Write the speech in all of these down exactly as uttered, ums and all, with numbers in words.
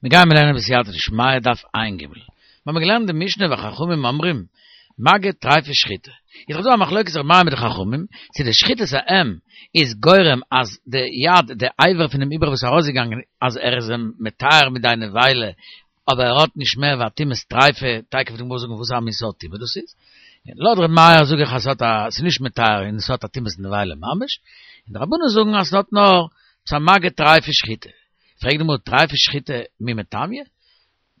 מיר גייען לערנען בסייעתא דשמיא דף ע"ג. מיר האבן געלערנט די משנה וחכמים אומרים, מגע טריפה שחיטה. איז דאך דא א מחלוקת ר' מאיר מיט די חכמים, צו די שחיטת האם איז גורם אז די יד, די אבר פונעם עובר וואס איז ארויסגעגאנגען, אז ער איז אים מטהר מידי נבילה, אבער ער האט נישט מער ווי א טומאת טריפה, תיכף וועט די גמרא זאגן וואס א מין סארט טומאה דאס איז. לויט ר' מאיר זאג איך אז ס'האט א, ס'איז נישט מטהר און ס'האט א טומאת נבילה ממש, און די רבנן זאגן אז ס'האט נאר, ס'איז א מגע טריפה שחיטה. פרעגט די גמרא טריפה שחיטה מי מטמיא?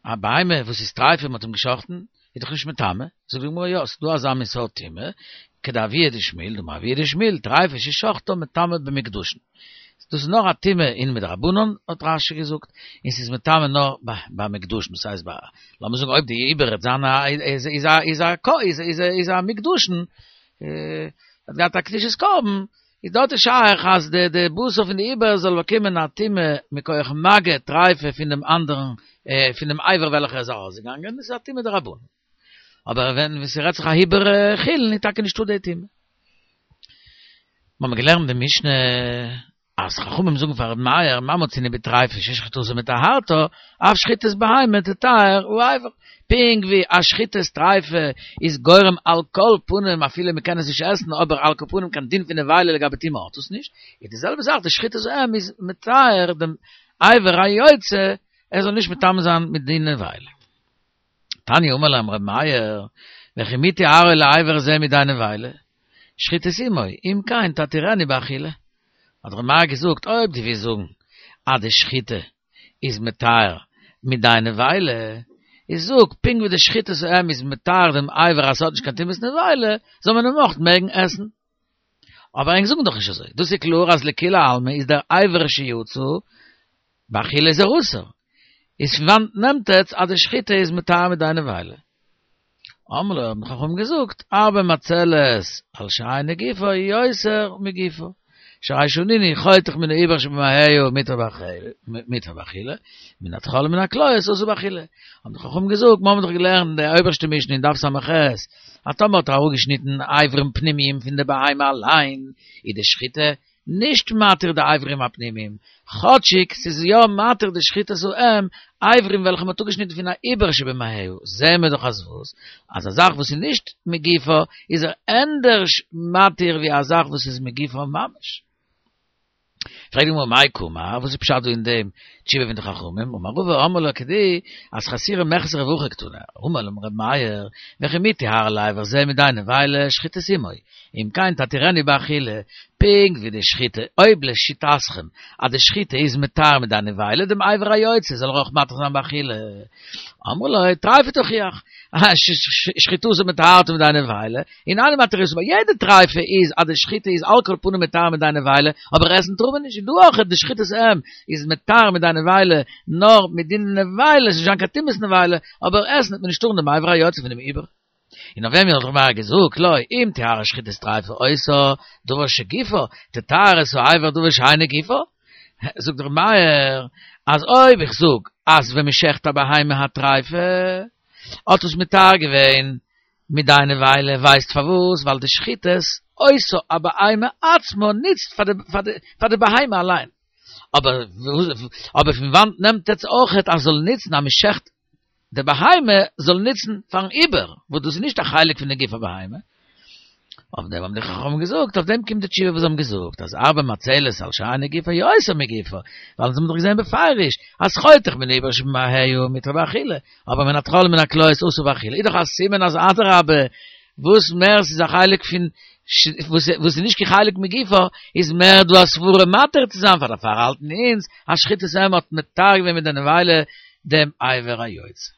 א בהמה וואס איז טריפה מ'האט אים געשחט'ן איז דאך נישט מטמא, זאגט די גמרא יא ס'איז דא אזא מין סארט טומאה, כדאבוה דשמואל, דאמר אבוה דשמואל, טריפה ששחטה מטמאה במוקדשין. דאס איז נאר א טומאה אין מדרבנן האט רש"י געזאגט, און ס'איז מטמא נאר ביי מוקדשין, דאס הייסט ביי, לאמיר זאגן אויב די עובר וועט זיין א איז א איז א איז א איז א מוקדשין, האט געהאט א קדושת קרבן, איז דארט איז שייך אז די די בשר פון די עובר זאל באקומען א טומאה מכח מגע טריפה פון דעם אנדערן פון דעם אבר וועלכער איז ארויסגעגאנגען, דאס איז א טומאה דרבנן. אבער ווען ס'רעדט זיך א עובר חולין איז טאקע נישטא די טומאה. מ'האמיר געלערנט די משנה אז חכמים זאגן פאר ר' מאיר מה מצינו בטריפה ששחיטתה מטהרתה, אף שחיטת בהמה תטהר האבר. פונקט ווי א שחיטת טריפה איז גורם על כל פנים אפילו מ'קען עס נישט עסן אבער על כל פנים קיין דין פון נבילה לגבי טומאה האט עס נישט, איז די זעלבע זאך די שחיטת האם איז מטהר דעם אבר היוצא ער זאל נישט מטמא זיין מיט דין נבילה. תניא אמר להם ר' מאיר, וכי מי טיהרו לאבר זה מידי נבילה? שחיטת אמו, אם כן תתירני באכילה. האט ר' מאיר געזאגט, אויב דו ווילסט זאגן אז די שחיטה איז מטהר מידי נבילה, איז זאג, פונקט ווי די שחיטת האם איז מטהר דעם אבר אז ס'האט נישט קיין טומאת נבילה, זאל מען אים אויך מעגן עסן. אבער ענק זאגן דאך נישט אזוי, דאס איז קלאר אז לכולי עלמא איז דער אבר שיצא באכילה איז ער אסור. איז פון וואנט נעמט עטץ אז די שחיטה איז מטהר מידי נבילה? אמרו לו האבן חכמים געזאגט, הרבה מצלת על שאינו גופו יותר מגופו, שהרי שנינו חותך מן העובר שבמעיה מותר באכילה, מן התחלה ומן הכליות אסור באכילה. האבן די חכמים געזאגט, מיר האבן דאך געלערנט אין די אויבערשטע משנה אין דף ס"ח, אז טאמער האט ער אראפגעשניטן אברים פנימיים פון די בהמה אליין, איז די שחיטה נישט מתיר די אברים הפנימיים, כאטשיג ס'איז יא מתיר די שחיטת האם, אברים וועלכע מ'האט אפגעשניטן פון א עובר שבמעיה, זעהן מיר דאך אז וואס? אז א זאך וואס איז נישט מגופו איז ער ענדערש מתיר ווי א זאך וואס איז מגופו ממש. פרעגט די גמרא מאי קאמר, וואס איז פשט דא אין דעם תשובה פון די חכמים, אמר רבא אמרי לה כדי אז חסורי מחסרא והכי קתני, אמר להם ר' מאיר, וכי מי טיהרו לאבר זה מידי נבילה שחיטת אמו, אם כן תתירני באכילה, פונקט ווי די שחיטה, אויב לשיטתכם אז די שחיטה איז מטהר מידי נבילה דעם אבר היוצא זאל ער אויך מתיר זיין באכילה. אמרו לו, טריפה תוכיח, שחיטתה מטהרתה מידי נבילה, און אינה מתירתו, ביי יעדע טריפה איז אז די שחיטה איז על כל פנים מטהר מידי נבילה, אבער עסן טאר מען נישט, און דא אויך די שחיטת האם איז מטהר מידי נבילה נאר מדין נבילה, ס'איז נישט זיין קיין טומאת נבילה, אבער עסן וועט מען נישט טארן דעם אבר היוצא פונעם עובר. און אויף וועם האט ר' מאיר געזאגט לא אם טיהרה שחיטת טריפה אותה דבר שגופה תטהר את האבר דבר שאינו גופה, זאגט ר' מאיר אז אויב איך זאג אז ווען מ'שעכט א בהמה הטריפה האט עס מטהר געווען מידי נבילה ווייסט פארוואס ווייל די שחיטת אותה הבהמה עצמה נוצט פאר די בהמה אליין אבער אבער פון וואנט נעמט עטס אויכעט אז זאל נוצן אז מ'שעכט די בהמה זאל נוצן פארן עובר, וואס דאס איז נישט א חלק פון די גוף הבהמה. אויף דעם האבן די חכמים געזאגט, אויף דעם קומט די תשובה וואס זיי האבן געזאגט, אז הרבה מצלת על שאינו גופו יותר מגופו, ווייל אונז האבן דאך געזען בפירוש, אז חותך מן העובר שבמעיה מותר באכילה, אבער מן התחלה ומן הכליות אסור באכילה, איז דאך א סימן אז אדרבה, וואס מער ס'איז א חלק פון, וואס איז נישט קיין חלק מגופו, איז מער דא א סברה מתיר צו זיין, פאר דערפאר האלטן אונז אז שחיטת האם האט מטהר געווען מידי נבילה דעם אבר היוצא.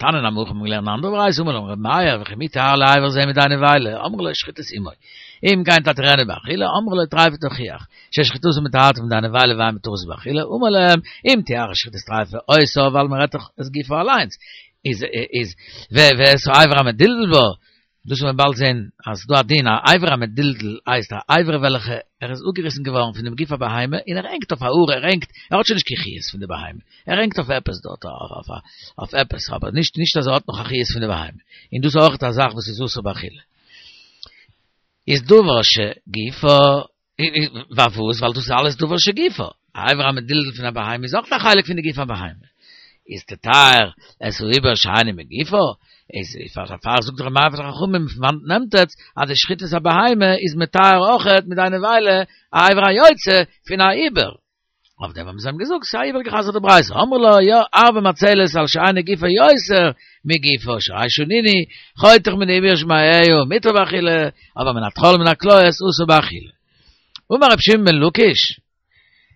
תניא נמי הכי מ'האבן געלערנט אן אנדערע ברייתא אמר להם ר' מאיר וכי מי טיהרו לאבר זה מידי נבילה אמרו לו שחיטת אמו אם כן תתירני באכילה אמרו לו טריפה תוכיח ששחיטתה מטהרתה מידי נבילה ואין מתירתו באכילה אמר להם אם טיהרה שחיטת טריפה אותה ווייל מ'רעדט דאך את גופו אליינס איז איז ואת האבר המדולדל בה דאס וועט מען באלד זען אז ס'דא א דין א אבר המדולדל הייסט א אבר וועלכע ער איז אפגעריסן געווארן פונעם גוף הבהמה און ער הענגט אויף א האר ער הענגט ער האט שוין נישט קיין חיות פון די בהמה ער הענגט אויף עפעס דארט אויף עפעס אבער נישט נישט אז ער האט נאך א חיות פון די בהמה און דאס איז אויך א זאך וואס איז אסור באכילה איז דבר שגופו פארוואס? ווייל דאס איז אלעס דבר שגופו. א אבר המדולדל פון א בהמה איז אויך א חלק פון די גוף הבהמה. איז תטהר את העיבור שאינו מגופו, איז פאר זאגט ר' מאיר פאר די חכמים פון וואנעט נעמט עטס אז די שחיטת הבהמה איז מטהר אויכעט מידי נבילה א אבר היוצא פון א עיבור. אויף דעם האבן זיי אים געזאגט, ס'איז א איבערגעחזר'טע ברייתא, אמרו לו, יא, הרבה מצלת על שאינו גופו יותר מגופו, שהרי שנינו, חותך מן העיבור ושמעיה, מותר באכילה, אבער מן הטחול ומן הכליות אסור באכילה. אמר רבי שמעון בן לקיש,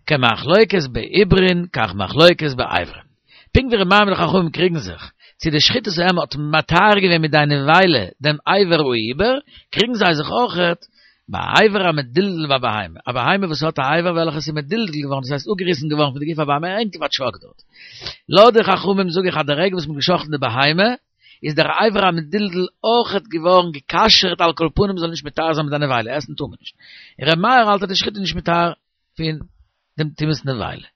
כמחלוקת בעיברין כך מחלוקת באיברין. פונקט ווי ר' מאיר מיט די חכמים קריגן זיך, צו די שחיטת האם האט מטהר געווען מידי נבילה דעם אבר העיבור, קריגן זיי זיך אויכעט ביי אבר המדולדל בבהמה, א בהמה וואס האט א אבר וועלכעס איז מדולדל געווארן, דאס הייסט אפגעריסן געווארן פון די גוף הבהמה, הענגט אויף א טשאק דארט. לויט די חכמים זאג איך אז די רגע וואס מ'האט גע'שחט'ן די בהמה, איז דער אבר המדולדל אויכעט געווארן גע'כשר'ט על כל פנים זאל נישט מטהר זיין מידי נבילה, עסן טאר מען נישט. און ר' מאיר האלט אז די שחיטה איז נישט מטהר פון דעם טומאת נבילה.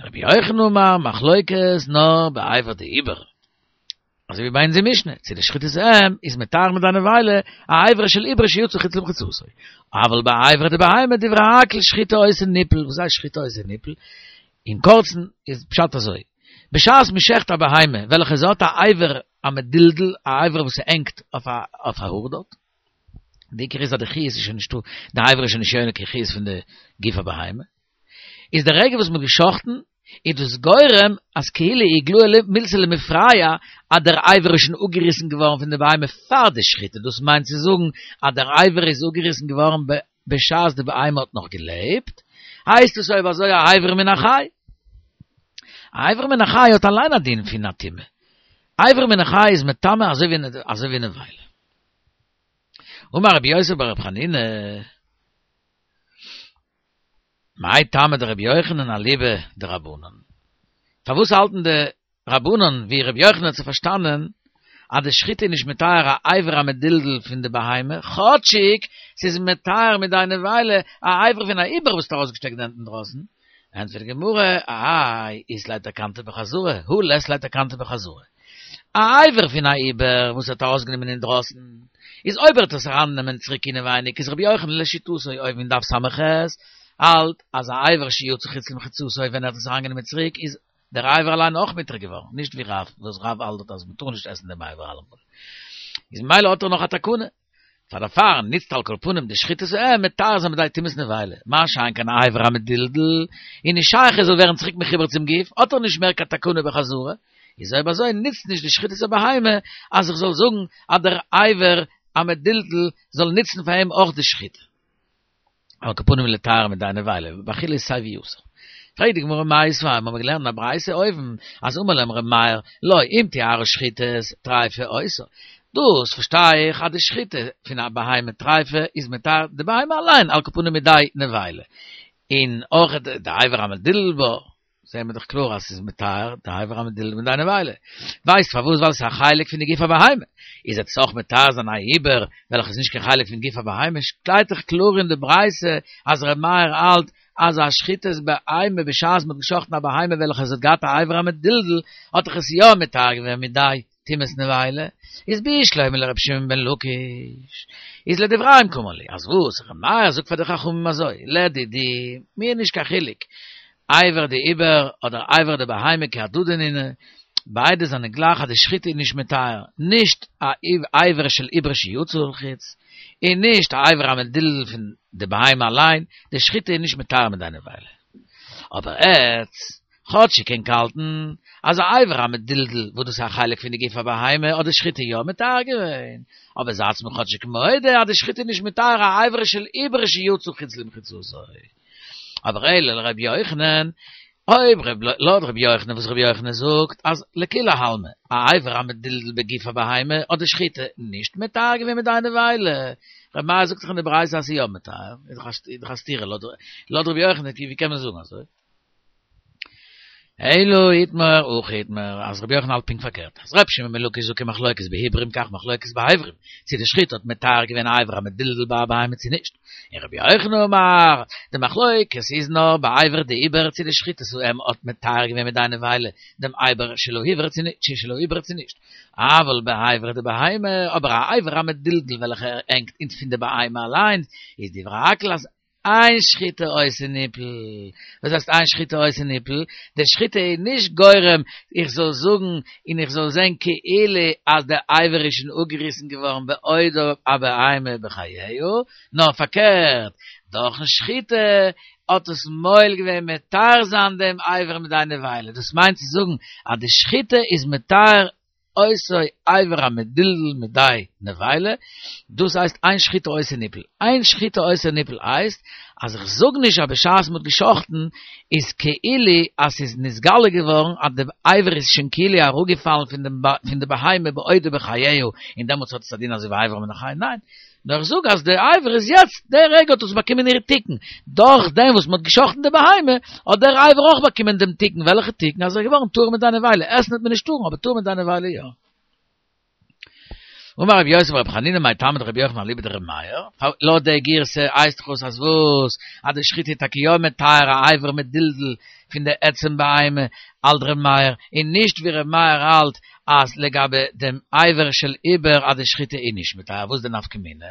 רבי יוחנן אמר, מחלוקת נאר באבר דעיבור. אזוי ווי ביי אונזער משנה, צו די שחיטת האם איז מטהר מידי נבילה א אבר של עיבור שיצא חוץ למחיצתו. אבל באבר דבהמה דברי הכל שחיטה עושה ניפול, וואס הייסט שחיטה עושה ניפול? אין קורצן איז פשט אזוי, בשעת מען שעכט א בהמה וועלכע זי האט א אבר המדולדל, א אבר וואס הענגט אויף א האר דארט, די עיקר איז אז די חיות איז שוין נישטא, די אבר איז שוין נישט יונק קיין חיות פון די גוף הבהמה, איז די רגע וואס מ'האט גע'שחט'ן, איז דאס גורם אז כאילו איגלאי מילתא למפרע אז דער אבר איז שוין אפגעריסן געווארן פון די בהמה פאר די שחיטה, דאס מיינט צו זאגן אז דער אבר איז אפגעריסן געווארן בשעת די בהמה האט נאך געלעבט, הייסט עס אויב אזוי א אבר מן החי. א אבר מן החי האט אליין א דין פון א טומאה. אבר מן החי איז מטמא אזוי ווי נבילה. אמר רבי יוסי בר רבי חנינא, מאי טעמא דרבי יוחנן אליבא דרבנן? פארוואס האלטן די רבנן ווי רבי יוחנן האט זיך פארשטאנען אז די שחיטה איז נישט מטהר א אבר המדולדל פון די בהמה, כאטשיג ס'איז מטהר מידי נבילה א אבר פון א עיבור וואס האט ארויסגעשטעקט די הענט אינדרויסן? ענטפערט די גמרא, האי אית ליה תקנתא בחזרה, הא לית ליה תקנתא בחזרה. א אבר פון א עיבור וואס האט ארויסגענומען אינדרויסן, איז אויב ער וועט עס ארייננעמען צוריק אינעווייניג איז רבי יוחנן לשיטתו אויבן אין דף ס"ח האלט אז א אבר שיצא חוץ למחיצתו ווען ער האט עס אריינגענומען צוריק איז דער אבר אליין אויך מותר געווארן, נישט ווי רב וואס רב האלט אז מ'טאר נישט עסן דעם אבר אלעמאל איז ממילא האט ער נאך א תקנה. פאר דערפאר ניצט על כל פנים די שחיטת האם מטהר זיין מידי טומאת נבילה, מה שאין כן א אבר המדולדל, איז נישט שייך ער זאל ווערן צוריק מחובר צום גוף, האט ער נישט מער קיין תקנה בחזרה, איז אויב אזוי ניצט נישט די שחיטת הבהמה אז איך זאל זאגן אז דער אבר המדולדל זאל ניצן פאר אים אויך די שחיטה. על כל פנים לטהר מידי נבילה, באכילה איז סיי ווי אסור. פרעגט די גמרא מיתיבי, מיר האבן געלערנט אין א ברייתא אויבן, אז אמר להם ר' מאיר, לא, אם טיהרה שחיטת טריפה אותה. דאס פארשטיי איך אז די שחיטה פון א בהמה טריפה איז מטהר די בהמה אליין, על כל פנים מידי נבילה. און אויך די אבר המדולדל בה. זעהן מיר דאך קלאר אז ס'איז מטהר די אבר המדולדל מידי נבילה. ווייסט פארוואס? ווייל ס'איז א חלק פון די גוף הבהמה. איז עס אויך מטהר זיין א עיבור וועלכע איז נישט קיין חלק פון גוף הבהמה? שטייט דאך קלאר אין די ברייתא אז ר' מאיר האלט אז א שחיטת בהמה בשעת מ'האט געשחט'ן א בהמה וועלכע עס האט געהאט א אבר המדולדל האט דאך עס יא מטהר געווען מידי טומאת נבילה. איז בשלמא לר' שמעון בן לקיש איז לדבריהם קאמר להו אז וואס ר' מאיר זאגט פאר די חכמים אזוי לדידי מיר נישט קיין חילוק אבר דעיבור אדער אבר דבהמה כי הדדי נינהו, ביידע זענען גלייך אז די שחיטה איז נישט מטהר, נישט א אבר של עיבור שיצא לחוץ, און נישט א אבר המדולדל פון די בהמה אליין, די שחיטה איז נישט מטהר מידי נבילה. אבער עטץ, כאטשיג ענק האלטן אז א אבר המדולדל וואס דאס איז א חלק פון די גוף הבהמה האט די שחיטה יא מטהר געווען, אבער זייטס מיר כאטשיג מודה אז די שחיטה איז נישט מטהר א אבר של עיבור שיצא חוץ למחיצתו. אבער אלא לרבי יוחנן, אויב לויט רבי יוחנן וואס רבי יוחנן זאגט אז לכולי עלמא א אבר המדולדל בגוף הבהמה האט די שחיטה נישט מטהר געווען מידי נבילה, רבי מאיר זאגט דאך אין די ברייתא אז ס'איז יא מטהר, איז דאך א סתירה לויט רבי יוחנן ווי קען מען זאגן אזוי? אלא איתמר הכי איתמר אז רבי יוחנן האלט פונקט פארקערט אז רבי שמעון בן לקיש זאגט כמחלוקת בעיבורים כך מחלוקת באיברים צו די שחיטה האט מטהר געווען אבר המדולדל בבהמה צו נישט און רבי יוחנן אמר די מחלוקת איז נאר באבר דעיבור צו די שחיטת האם האט מטהר געווען מידי נבילה דעם אבר של העיבור צו נישט של העיבור צו נישט אבל באבר דבהמה אבער א אבר המדולדל וועלכע הענגט אין פון די בהמה אליינס איז דברי הכל אז אין שחיטה עושה ניפל. וואס הייסט אין שחיטה עושה ניפל? די שחיטה איז נישט גורם איך זאל זאגן און איך זאל זען כאילו אז דער אבר איז שוין אפגעריסן געווארן בעודה הבהמה בחייה, נאר פארקערט, דורכן שחיטה האט עס מועיל געווען מטהר זיין דעם אבר מידי נבילה. דאס מיינט צו זאגן אז די שחיטה איז מטהר אותו אבר המדולדל מידי נבילה, דאס הייסט אין שחיטה עושה ניפל. אין שחיטה עושה ניפל הייסט אז איך זאג נישט אז בשעת מ'האט גע'שחט'ן איז כאילו אז ס'איז נתגלה געווארן אז די אבר איז שוין כאילו אראפגעפאלן פון דעם פון די בהמה בעודה בחייה און דעמאלטס האט עס א דין אזוי ווי אבר מן החי, ניין, נאר איך זאג אז די אבר איז יעצט, די רגע האט עס באקומען איר תיקון, דורך דעם וואס מ'האט גע'שחט'ן די בהמה האט דער אבר אויך באקומען דעם תיקון, וועלכע תיקון? אז ער איז געווארן טהור מידי נבילה, עסן וועט מען נישט טארן אבער טהור מידי נבילה יא. אמר רבי יוסי ברבי חנינא מאי טעמא דרבי יוחנן אליבא דרבי מאיר, לויט די גירסא הייסט דאך אויס אז וואס? אז די שחיטה איז טאקע יא מטהר א אבר מדולדל פון די עצם בהמה האלט רבי מאיר, און נישט ווי רבי מאיר האלט אז לגבי דעם אבר של עובר אז די שחיטה איז נישט מטהר, וואס איז די נפקא מינה?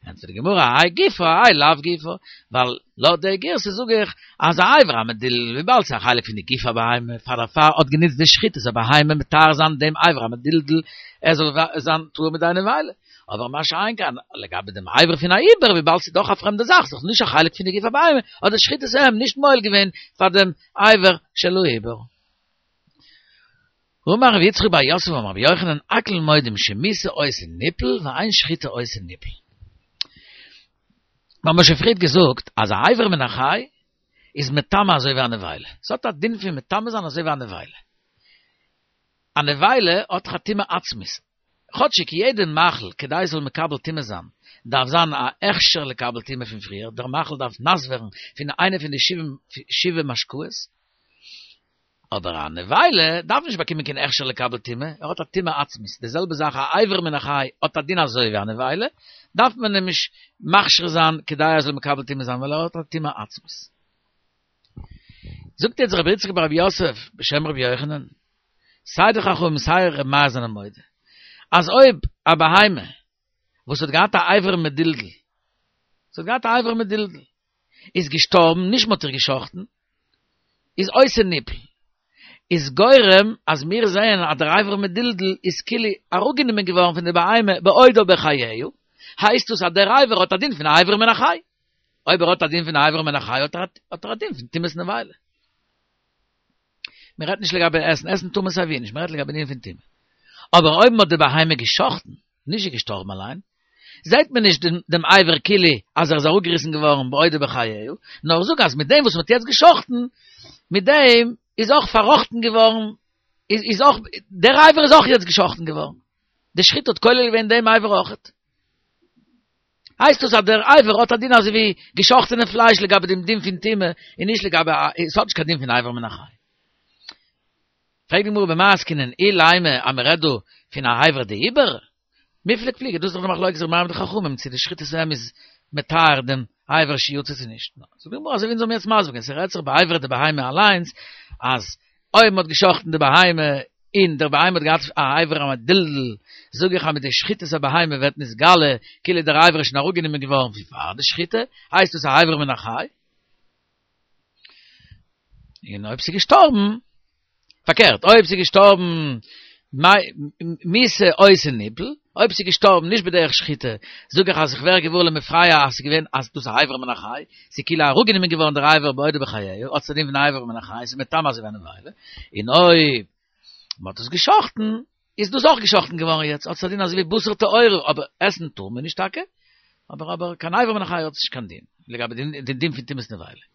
ענטפערט די גמרא, האי גופא האי לאו גופא, ווייל לויט די גירסא זאג איך אז א אבר המדולדל וויבאלד ס'איז א חלק פון די גוף הבהמה, פאר דערפאר האט גענוצט די שחיטת הבהמה מטהר זיין דעם אבר המדולדל ער זאל זיין טהור מידי נבילה, אבער מה שאין כן לגבי דעם אבר פון א עובר וויבאלד ס'איז דאך א פרעמדע זאך, ס'איז דאך נישט א חלק פון די גוף הבהמה, האט די שחיטת האם נישט מועיל געווען פאר דעם אבר של העובר. אמר רבי יצחק בר יוסף אמר רבי יוחנן הכל מודים שמיתה עושה ניפל ואין שחיטה עושה ניפל. מיר האבן שוין פריערט געזאגט אז א אבר מן החי איז מטמא אזוי ווי א נבילה. ס'האט א דין פון מטמא זיין אזוי ווי א נבילה. א נבילה האט דאך א טומאה עצמית. כאטשיג יעדע מאכל כדי עס זאל מקבל טומאה זיין דארף זיין א הכשר לקבל טומאה פון פריער, דער מאכל דארף נאס ווערן פון איינע פון די שבעה משקאות, אבער א נבילה דארף נישט באקומען קיין הכשר לקבל טומאה, ער האט א טומאה עצמית, די זעלבע זאך א אבר מן החי האט א דין אזוי ווי א נבילה, דארף מען אים נישט מכשיר זיין כדי ער זאל מקבל טומאה זיין ווייל ער האט א טומאה עצמית. זאגט יעצט רבי יצחק בר רבי יוסף בשם רבי יוחנן, סיי די חכמים סיי רבי מאיר זענען מודה אז אויב א בהמה וואס האט געהאט א אבר מדולדל, ס'האט געהאט א אבר מדולדל, איז געשטארבן, נישט מ'האט איר גע'שחט'ן, איז עושה ניפל, איז גורם אז מיר זעען אז דער אבר מדולדל איז כאילו אראפגענומען געווארן פון די בהמה בעודה בחייה, הייסט דאס אז דער אבר האט א דין פון א אבר מן החי, אויב ער האט א דין פון א אבר מן החי האט ער א דין פון טומאת נבילה. מען רעדט נישט לגבי עסן, עסן טאר מען סייווי נישט, מען רעדט לגבי דין פון טומאה. אבער אויב מען האט די בהמה גע'שחט'ן, נישט זי געשטארבן אליין, זעט מען נישט דעם אבר כאילו אז ער איז אראפגעריסן געווארן בעודו בחייה, נאר איך זאג אז מיט דעם וואס מען האט יעצט גע'שחט'ן, מיט דעם איז אויך פארראכטן געווארן, איז אויך, דער אבר איז אויך יעצט גע'שחט'ן געווארן. די שחיטה האט כולל געווען דעם אבר אויכעט. הייסט דאס אז דער אבר האט א דין אזוי ווי גע'שחט'ענע פלייש לגבי דעם דין פון טומאה, און נישט לגבי, עס האט נישט קיין דין פון אבר מן החי. פרעגט די גמרא במאי עסקינן אילימא אז מען רעדט דא פון א אבר דעיבור? מיפלג פליגי, דאס איז דאך די מחלוקת ר' מאיר מיט די חכמים צו די שחיטת האם איז מטהר דעם אבר שיצא צו נישט. זאגט די גמרא אזוי ווי אונז האבן יעצט מסביר געווען, ס'רעדט זיך באיברא דבהמה אליינס, אז אויב מ'האט גע'שחט'ן די בהמה און דער בהמה האט געהאט א אבר המדולדל, זאג איך אז מיט די שחיטת הבהמה ווערט נתגלה כאילו דער אבר איז שוין אראפגענומען געווארן פון פאר די שחיטה, הייסט עס א אבר מן החי. און אויב ס'איז געשטארבן, פארקערט, אויב ס'איז געשטארבן מיתה עושה ניפל, אויב ס'איז געשטארבן נישט בדרך שחיטה, זאג איך אז איך ווער געוואר למפרע אז ס'איז געווען אז דאס איז א אבר מן החי, ס'איז כאילו אראפגענומען געווארן דער אבר בעודו בחייה, האט עס א דין פון אבר מן החי, ס'איז מטמא אזוי ווי א נבילה, און אויב מ'האט עס גע'שחט'ן, איז דאס אויך גע'שחט'ן געווארן יעצט, האט עס א דין אזוי ווי בשר טהור, אבער עסן טאר מען נישט טאקע, אבער אבער קיין אבר מן החי האט עס נישט קיין דין, לגבי די דין פון טומאת נבילה.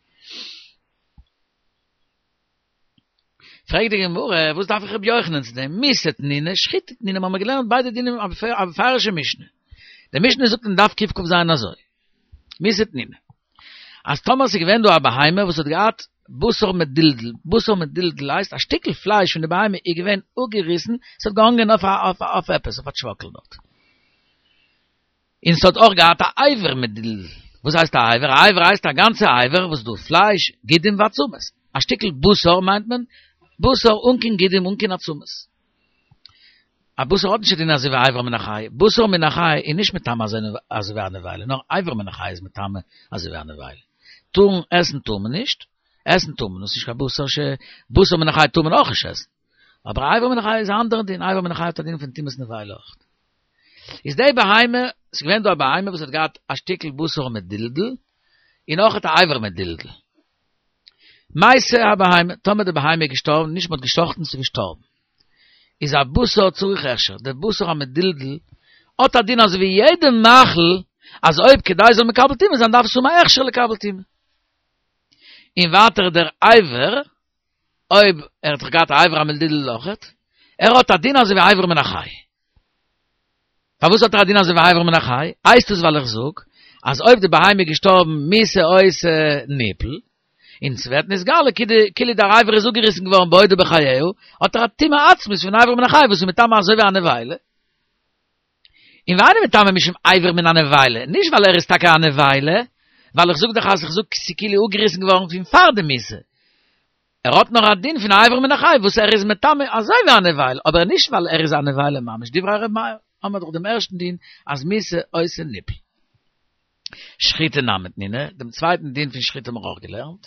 פרעגט די גמרא, וואס דארף איך רבי יוחנן צו דעם? מיתה תנינא, שחיטה תנינא, מ'האמיר געלערנט ביידע דינים א מפורש'ע משנה. די משנה זאגט אין דף קכ"ז אזוי, מיתה תנינא, אז טאמער ס'איז געווען דא א בהמה וואס האט געהאט בשר מדולדל, בשר מדולדל הייסט א שטיקל פלייש פון די בהמה איז געווען אפגעריסן, ס'האט געהאנגען אויף אויף עפעס, אויף א טשוואקל דארט. און ס'האט אויך געהאט א אבר מדולדל. וואס הייסט א אבר? א אבר הייסט א גאנצע אבר וואס דא פלייש, גידים ועצמות. א שטיקל בשר מיינט מען בשר אן קיין גידים אן קיין עצמות. א בשר האט נישט א דין אזוי ווי אבר מן החי. בשר מן החי איז נישט מטמא אזוי ווי א נבילה, נאר אבר מן החי איז מטמא אזוי ווי א נבילה. טארן עסן טאר מען נישט, עסן טאר מען, דאס איז נישט קיין בשר ש... בשר מן החי טאר מען אויך נישט עסן. אבער אבר מן החי איז א אנדערע דין, אבר מן החי האט א דין פון טומאת נבילה אויך. איז די בהמה, ס'איז געווען דא א בהמה וואס האט געהאט א שטיקל בשר מדולדל, און אויך א אבר מדולדל. מתה הבהמה, טאמער די בהמה איז געשטארבן, נישט מ'האט געשאכטן, ס'איז געשטארבן. איז הבשר צריך הכשר, דער בשר המדולדל האט א דין אזוי ווי יעדע מאכל, אז אויב כדי זאל מקבל טומאה זיין דארף עס האבן א הכשר לקבל טומאה. און ווייטער דער אבר, אויב ער האט דאך געהאט א אבר המדולדל אויכעט, ער האט א דין אזוי ווי אבר מן החי. פארוואס האט ער א דין אזוי ווי אבר מן החי? הייסט עס ווייל איך זאג אז אויב די בהמה איז געשטארבן מיתה עושה ניפול, און ס'ווערט נתגלה כאילו דער אבר איז אפגעריסן געווארן בעודו בחייה, האט ער א טומאה עצמית פון אבר מן החי וואס איז מטמא אזוי ווי א נבילה. און ואינו מטמא משום אבר מן הנבילה, נישט ווייל ער איז טאקע א נבילה, ווייל איך זאג דאך אז איך זאג ס'כאילו אפגעריסן געווארן פון פאר די מיתה. ער האט נאר א דין פון אבר מן החי וואס ער איז מטמא אזוי ווי א נבילה, אבער נישט ווייל ער איז א נבילה ממש, דברי ר' מאיר, האמער דאך דעם ערשטן דין אז מיתה עושה ניפול. שחיטה נמי תנינא, דעם צווייטן דין פון שחיטה האבן מיר אויך געלערנט,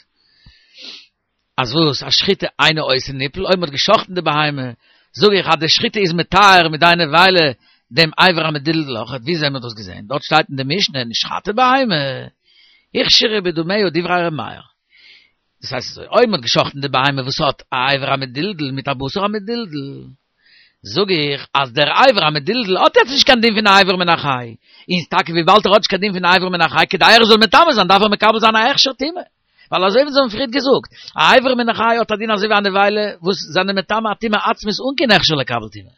אז וואס, אז שחיטה אינה עושה ניפול, אויב מען האט גע'שחט'ן די בהמה, זאג איך אז די שחיטה איז מטהר מיט די נבילה דעם אבר המדולדל אויכעט, ווי אזוי האט מען דאס געזען? דארט שטייט אין די משנה נשחטה בהמה, הוכשרה בדמיה דברי ר' מאיר. דאס הייסט אזוי, אויב מען האט גע'שחט'ן די בהמה וואס האט א אבר המדולדל מיט א בשר המדולדל, זאג איך אז דער אבר המדולדל האט יעצט נישט קיין דין פון א אבר מן החי, און טאקע וויבאלד ער האט נישט קיין דין פון א אבר מן החי, כדי ער זאל מטמא זיין דארף ער מקבל זיין א הכשר טומאה. ווייל אזוי ווי אונז האבן פריערט געזאגט, א אבר מן החי האט א דין אזוי ווי א נבילה וואס זענען מטמא א טומאה עצמית אן קיין הכשר לקבל טומאה.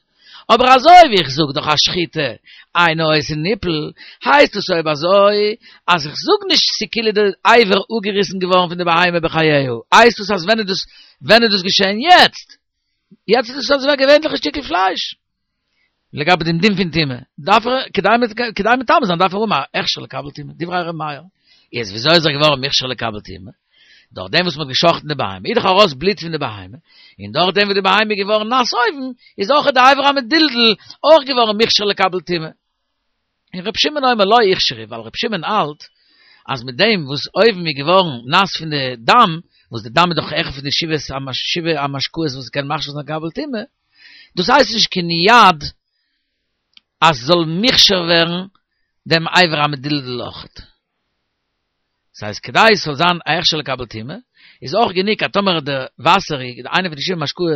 אבער אזוי ווי איך זאג דאך אז שחיטה אינה עושה ניפול, הייסט עס אויב אזוי אז איך זאג נישט ס'כאילו די אבר אפגעריסן געווארן פון די בהמה בחייה, הייסט עס אז ווען איז דאס ווען איז דאס געשען? יעצט! יעצט איז דאס אזוי ווי א געווענליכע שטיקל פלייש. לגבי דעם דין פון טומאה, דארף ער, כדי כדי מטמא זיין דארף ער האבן א הכשר לקבל טומאה, דברי ר' מאיר. איז וויאזוי איז ער געווארן מוכשר לקבל טומאה? דורך דעם וואס מ'האט גע'שחט'ן די בהמה, איז דאך ארויס בלוט פון די בהמה, און דורך דעם וואס די בהמה איז געווארן נאס אויבן, איז אויך די אבר המדולדל אויך געווארן מוכשר לקבל טומאה. און ר' שמעון אומר לא הוכשרה, ווייל ר' שמעון האלט אז מיט דעם וואס אויבן איז געווארן נאס פון די דם, וואס די דם איז דאך אחד פון די שבעה המשקאות וואס קען מכשיר זיין לקבל טומאה, דאס הייסט נישט קיין יד אז ס'זאל מוכשר ווערן דעם אבר המדולדל אויכעט. דאס הייסט כדי עס זאל זיין א הכשר לקבל טומאה, איז אויך גענוג אז טאמער די וואסער, איינע פון די שבעה משקאות,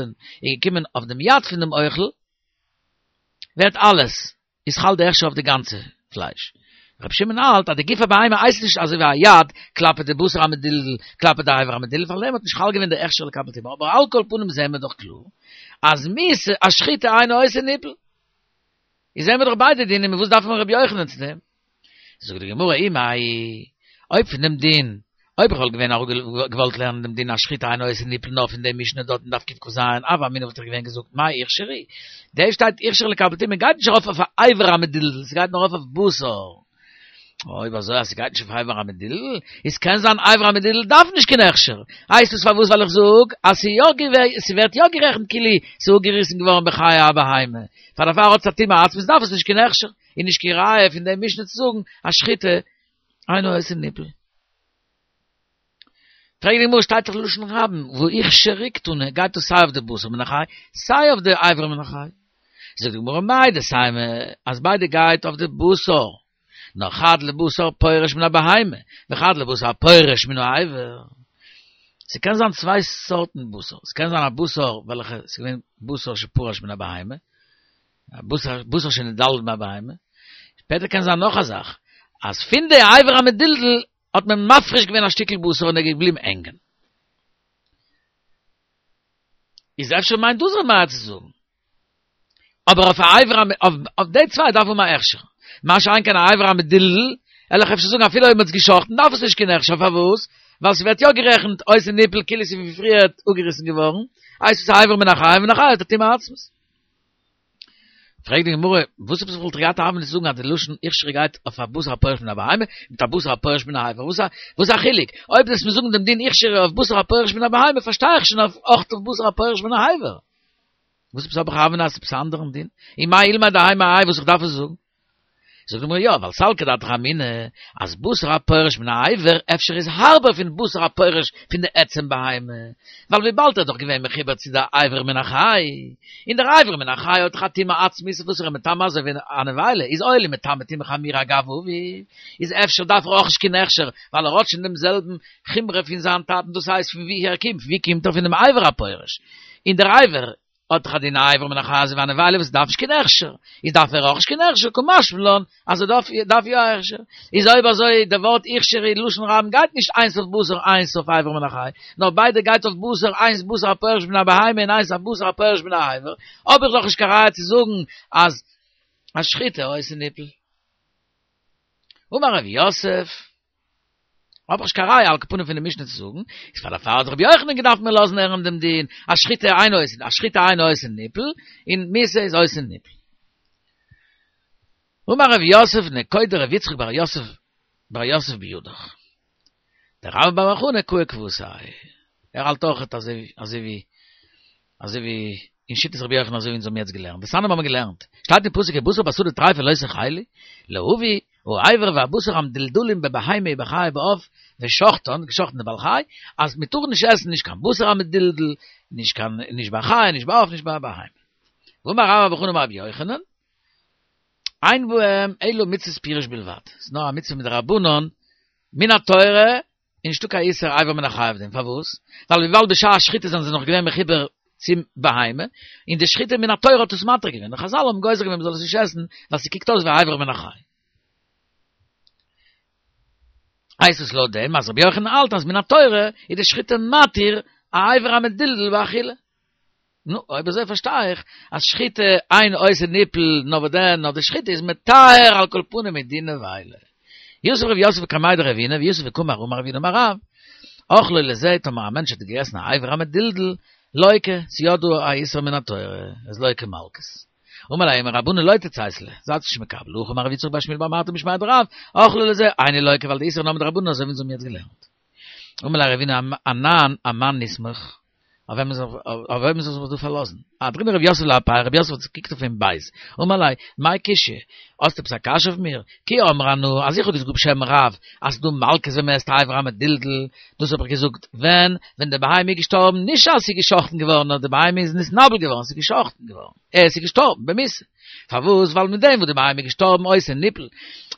איז געקומען אויף דעם יד פון דעם אוכל, ווערט אלעס, איז חל די הכשר אויף די גאנצע פלייש. רבי שמעון האלט אז די גוף הבהמה הייסט נישט אזוי ווי א יד כלפי די בשר המדולדל כלפי די אבר המדולדל, פאר דעם האט נישט חל געווען די הכשר לקבל טומאה, אבער על כל פנים זעהן מיר דאך קלאר אז מיתה אז שחיטה אינה עושה ניפול. איז זעהן מיר דאך ביידע דינים און וואס דארף מען רבי יוחנן צו דעם? זאגט די גמרא אי מהאי, אויב פון דעם דין, אויב איך וואלט געווען געוואלט לערנען דעם דין אז שחיטה אינה עושה ניפול נאר פון דעם משנה דארט אין דף קכ"ז, הוה אמינא וואלט איך געווען געזאגט מאי הוכשרה, דא שטייט הוכשרה לקבל טומאה גייט נישט ארויף אויף א אבר המדולדל, ס'גייט נאר ארויף אויף בשר. אויב אזוי אז ס'גייט נישט אויף אבר המדולדל, איז קען זיין אבר המדולדל דארף נישט קיין הכשר. הייסט עס פארוואס ווייל איך זאג אז ס'ווערט יא גערעכנט כאילו ס'איז אפגעריסן געווארן בחיי הבהמה, פאר דערפאר האט עס א טומאה עצמית דארף עס נישט קיין הכשר. איז נישט קיין ראיה פון דעם משנה צו זאגן אז שחיטה אינה עושה ניפול. פרעגט די גמרא שטייט דאך לשון רבים והוכשרה קתני גייט דאס סיי אויף די בשר מן החי סיי אויף די אבר מן החי. זאגט די גמרא מהו דתימא אז ביידע גייט אויף די בשר נאר חד לבשר פורש מן הבהמה וחד לבשר פורש מן האבר. ס'קען זיין צוויי סארטן בשר, ס'קען זיין א בשר וועלכע ס'איז געווען בשר שפרש מן הבהמה, בשר שנדלדל מהבהמה, שפעטער קען זיין נאך א זאך, אז פון די אבר המדולדל האט מען מפריש געווען א שטיקל בשר און ער איז געבליבן הענגען. איז אפשר מיינט דאס ר' מאיר צו זאגן. אבער אויף א אבר אויף די צוויי דארף מען א הכשר. מה שאין כן א אבר המדולדל, וועל איך אפשר זאגן אפילו אויב מ'האט עס געשחט'ן דארף עס נישט קיין הכשר, פארוואס? ווייל ס'ווערט יא גערעכנט עושה ניפול כאילו ס'איז ווי פריער אפגעריסן געווארן, הייסט עס א אבר מן החי, מן החי האט א טומאה עצמית. פרעגט די גמרא, וואס עפעס וואלט איך געהאט א הוה אמינא צו זאגן אז די לשון הוכשרה גייט אויף א בשר הפורש מן הבהמה, מיט א בשר הפורש מן האבר, וואס איז א חילוק? אויב וועסט מיר זאגן דעם דין הוכשרה אויף בשר הפורש מן הבהמה פארשטיי איך שוין אויך אויף בשר הפורש מן האבר. וואס עפעס האב איך א הוה אמינא אז עפעס א אנדערן דין? און מאי אולמיה דהאי מהאי וואס איך דארף עס זאגן? זאגט די גמרא יא, ווייל סלקא דעתך אמינא, אז בשר הפורש מן האבר אפשר איז הארבער פון בשר הפורש פון די עצם בהמה, ווייל וויבאלד ער איז דאך געווען מחובר צו די אבר מן החי, און דער אבר מן החי האט דאך א טומאה עצמית וואס ער איז מטמא אזוי ווי א נבילה, איז אויב ער איז מטמא טומאה חמורה אגב אביו, איז אפשר דארף ער אויך נישט קיין הכשר, ווייל ער האט שוין דעם זעלבן חומרא פון זיין טאטן, דאס הייסט פון ווי ער קומט, ווי קומט ער פון דעם אבר הפורש, און דער אבר האט דאך א דין אבר מן החי אזוי ווי א נבילה וואס דארף נישט קיין הכשר, איז דארף ער אויך נישט קיין הכשר, קא משמע לן אז ער דארף דארף יא א הכשר. איז אויב אזוי די ווארט הוכשר אין לשון רבים גייט נישט איינס אויף בשר איינס אויף אבר מן החי, נאר ביידע גייט אויף בשר איינס בשר הפורש מן הבהמה און איינס א בשר הפורש מן האבר, האב איך דאך נישט קיין ראיה צו זאגן אז אז שחיטה עושה ניפול. אמר רב יוסף. האב איך נישט קיין ראיה על כל פנים פון די משנה צו זאגן, איז פאר דערפאר האט רבי יוחנן געדארפט מיר לאזן הערן דעם דין, אז שחיטה אינו עושה, אז שחיטה אינו עושה ניפול, און מיתה איז עושה ניפול. אמר רב יוסף נקוט דרבי יצחק בר יוסף בר יוסף בידך. דרבה בר בר חנה קאי כוותיה. ער האלט אויכעט אזוי אזוי ווי אזוי ווי אין שיטת רבי יוחנן אזוי ווי אונז האבן יעצט געלערנט, דתניא האבן מיר געלערנט, שטייט אין פסוק ובשר בשדה טריפה לא תאכלו, להביא, האבר והבשר המדולדלים בבהמה ובחיה ובעוף, ושחטן, געשאכטן די בעל חי, אז מען טאר נישט עסן נישט קיין בשר המדולדל, נישט קיין נישט ביי חיה נישט ביי עוף נישט ביי בהמה. ואמר רבה בר בר חנה אמר רבי יוחנן, אין בהם אלא מצות פירוש בלבד, ס'איז נאר א מצוה מדרבנן, מן התורה, איז נישטא קיין איסור אבר מן החי אויף דעם, פארוואס? ווייל וויבאלד בשעת שחיטה זענען זיי נאך געווען מחובר צום בהמה, און די שחיטה מן התורה האט עס מתיר געווען, און חזל האבן גוזר געווען מ'זאל עס נישט עסן, ווייל ס'קוקט אויס ווי אבר מן החי. הייסט עס לויט דעם אז רבי יוחנן האלט אז מן התורה איז די שחיטה מתיר א אבר המדולדל באכילה. נו, אויב אזוי פארשטיי איך אז שחיטה אין עושה ניפול, נאר וואס דען, נאר די שחיטה איז מטהר על כל פנים מדין נבילה. יתיב רב יוסף קמיה דרבינא, ויתיב וקאמר אמר רבינא אמר רב, אכלו לזה, טאמער א מענטש האט געגעסן א אבר המדולדל, לוקה, ס'יא דא א איסור מן התורה, איז לוקה מלקות. אמר ליה רבנן לא תציתו ליה, זייטס נישט מקבל, הכי אמר רב יצחק בר שמואל בר מרתא משמיה דרב, אכלו לזה, אינו לוקה ווייל די איסור איז נאר מדרבנן אזוי ווי אונז האבן יעצט געלערנט. אמר ליה רבינא אנן אמאן נסמוך, אויף וועמען זאל איך זיך דא פארלאזן? אהדרינהו רב יוסף לאפיה, רב יוסף האט געקוקט אויף אים בייז, אמר ליה, מאי קושיא? האסט עפעס א קשיא אויף מיר? כי אמרי אנא, אז איך האב געזאגט בשם רב, אז ס'דא מלקות ווען מ'עסט אבר המדולדל, דאס האב איך געזאגט ווען? ווען די בהמה איז געשטארבן, נישט אז ס'איז גע'שחט'ן געווארן, נאר די בהמה איז נתנבל געווארן, ס'איז גע'שחט'ן געווארן, אה, ס'איז געשטארבן במיתה. פארוואס? ווייל מיט דעם וואס די בהמה איז געשטארבן עושה ניפול,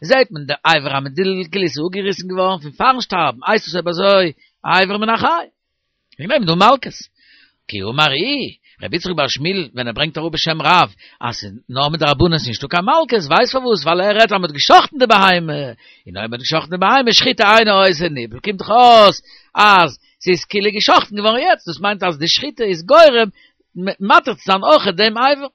זעט מען די אבר המדולדל כאילו ס'איז אפגעריסן געווארן פון פארן שטארבן, הייסט עס אויב אזוי אבר מן החי. וועגן דעם איז דא מלקות. כי אמר איהו, רבי יצחק בר שמואל ווען ער ברענגט אראפ בשם רב אז ס'איז נאר מדרבנן ס'איז נישטא קיין מלקות, ווייסט פארוואס? ווייל ער רעדט אז מ'האט גע'שחט'ן די בהמה, און אויב מ'האט גע'שחט'ן די בהמה שחיטה אינה עושה ניפול קומט דאך אויס אז ס'איז כאילו גע'שחט'ן געווארן יעצט, דאס מיינט אז די שחיטה איז גורם מתיר צו זיין אויכעט דעם אבר.